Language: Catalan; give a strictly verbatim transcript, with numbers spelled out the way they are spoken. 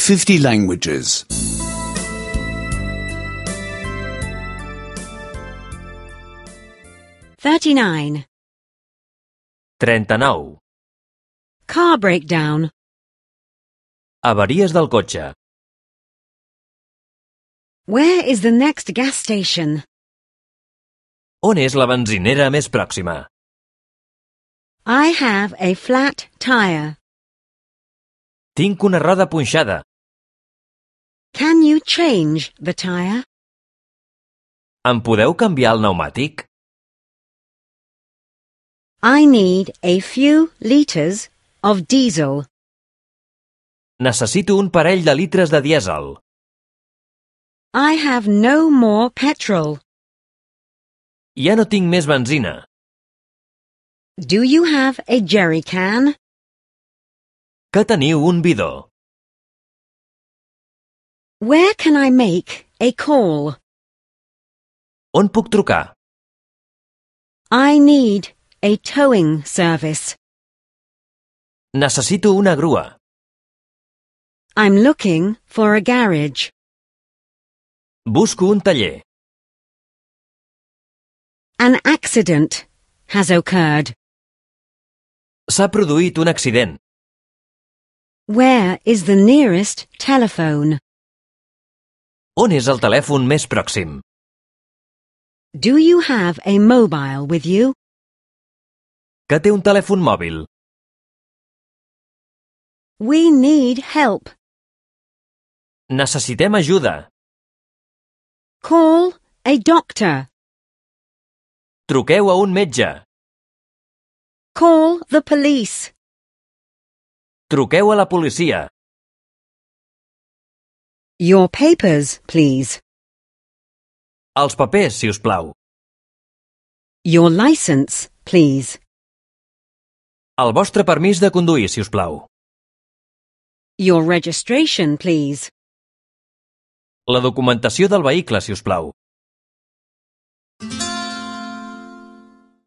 fifty languages. thirty-nine. trenta-nou. Car breakdown. Avaries del cotxe. Where is the next gas station? On és la benzinera més pròxima? I have a flat tire. Tinc una roda punxada. Can you change the tire? Em podeu canviar el pneumàtic? I need a few litres of diesel. Necessito un parell de litres de dièsel. I have no more petrol. Ja no tinc més benzina. Do you have a jerry can? Que teniu un bidó. Where can I make a call? On puc trucar? I need a towing service. Necessito una grua. I'm looking for a garage. Busco un taller. An accident has occurred. S'ha produït un accident. Where is the nearest telephone? On és el telèfon més pròxim? Do you have a mobile with you? Que té un telèfon mòbil. We need help. Necessitem ajuda. Call a doctor. Truqueu a un metge. Call the police. Truqueu a la policia. Your papers, please. Els papers, si us plau. Your license, please. El vostre permís de conduir, si us plau. Your registration, please. La documentació del vehicle, si us plau.